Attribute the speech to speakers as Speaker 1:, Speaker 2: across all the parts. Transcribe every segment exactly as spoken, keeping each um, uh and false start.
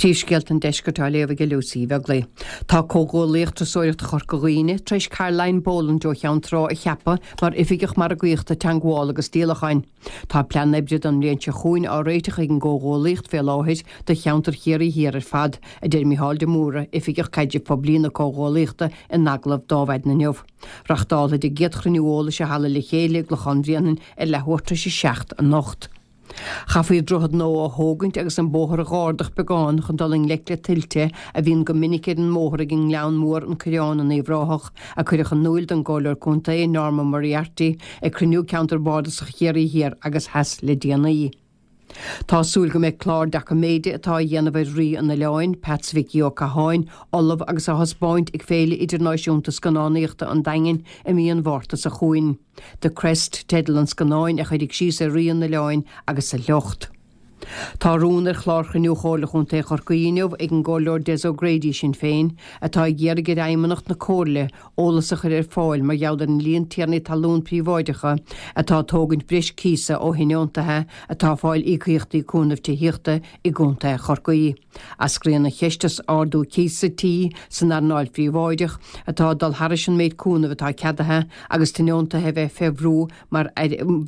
Speaker 1: Príomhscéalta an deiscirt á léamh ag Lucy Bheaglaoich. Tá Comhghuaillíocht Turasóireachta Chorca Dhuibhne tar éis Caroline Boland ó Cheann Trá a cheapadh mar oifigeach margaíochta teagmhála agus díolacháin. Tá plean oibre don bhliain seo chugainn á réiteach ag an gComhghuaillíocht fé láthair do cheantar Chiarraí Thiar ar fad, a deir Micheál de Mórdha, oifigeach caidrimh poiblí na Comhghuaillíochta in agallamh d'Adhmhaidin inniu. Reáchtálfar an chéad chruinniú eolais i halla Le Chéile i gClochán Bhréanainn ar leathuair tar éis a seacht anocht. Chaithfí droichead nua a thógaint agus an bóthar a dh'ardach beagán chun dul i ngleic le tuilte a bhíonn go minic ar an mbóthar ag an nGleann Mór an Coireán in Uíbh Ráthach, a cuireadh in iúl don gComhairleoir Contae Norma Moriarty ag cruinniú ceantar bardasach Chiarraí Thiar agus Theas le déanaí. Tá súil go mbeidh clár doiciméide atá á dhéanamh ar Rí an Oileáin, Peats Mhicí Ó Catháin, ullamh agus á thaispeáint ag Féile Idirnáisiúnta Scannánaíochta an Daingin i mí an Mhárta seo chugainn. The Crest teideal an scannáin a chuirfidh síos ar Rí an Oileáin agus a shliocht. Tá rún ar chlár chruinniú Chomhairle Chontae Chorcaí inniu ag an gComhairleoir Des O'Grady Sinn Féin, atá ag iarraidh ar fheidhmeannacht na Comhairle eolas a chur ar fáil mar gheall ar an líon tiarnaí talún príobháideacha atá ag tógaint breis cíosa ó thionóntaithe atá ag fáil íocaíochtaí cúnaimh tithíochta i gContae Chorcaí. Eascraíonn an cheist as ardú cíosa tí san earnáil phríobháideach atá ag dul thairis an méid cúnaimh atá ceadaithe agus tionóntaithe a bheith fé bhrú mar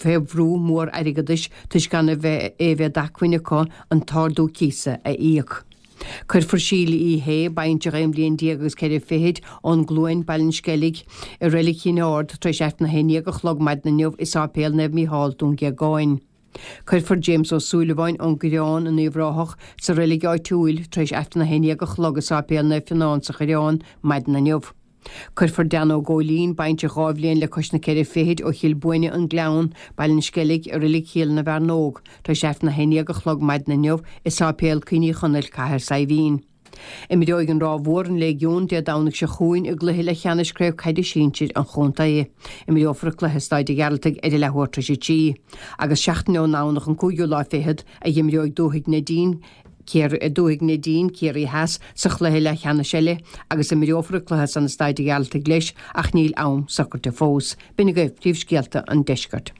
Speaker 1: fé bhrú mór airgeadais toisc gan a bheith é bheith d'acmhainn acu an t-ardú cíosa a íoc. Cuirfear Síle Uí Shé, baintreach aon bhliain déag agus ceithre fichid ón gCluain, Baile an Sceilg, i Reilig Chinn Ard tar éis Aifreann a haon déag a chlog maidin inniu i Sáipéal Naomh Mícheál, Dún Géagáin. Cuirfear James Ó Súilleabháin ón gCoireán in Uíbh Ráthach sa reilig áitiúil tar éis Aifreann a haon déag a chlog i Sáipéal Naomh Fionán sa Choireán maidin inniu. Cuirfear Dan Ó Góilín, baintreach dhá bhliain le cois na ceithre fichid ó Chill Buaine an Gleann, Baile an Sceilg, i Reilig Chill na bhFearnóg, tar éis Aifreann a haon déag a chlog maidin inniu i Sáipéal Cuimhní Chonaill, Cathair Saidhbhín. Imreoidh an Ráth Mhór an Léigiún Dé Domhnaigh seo chugainn i gcluiche leathcheannais Craobh Caide Sinsir an chontae. Imreofar an cluiche i Staid an Ghearaltaigh ar a leathuair tar éis a trí. Agus seachtain ón nDomhnach an cúigiú lá fichead a imreoidh Dúthaigh Neidín Dúthaigh Neidín, Ciarraí Theas, sa chluiche leathcheannais eile agus imreofar an cluiche san i Staid an Ghearaltaigh leis ach níl am socraithe fós. B'in agaibh príomhscéalta an deiscirt.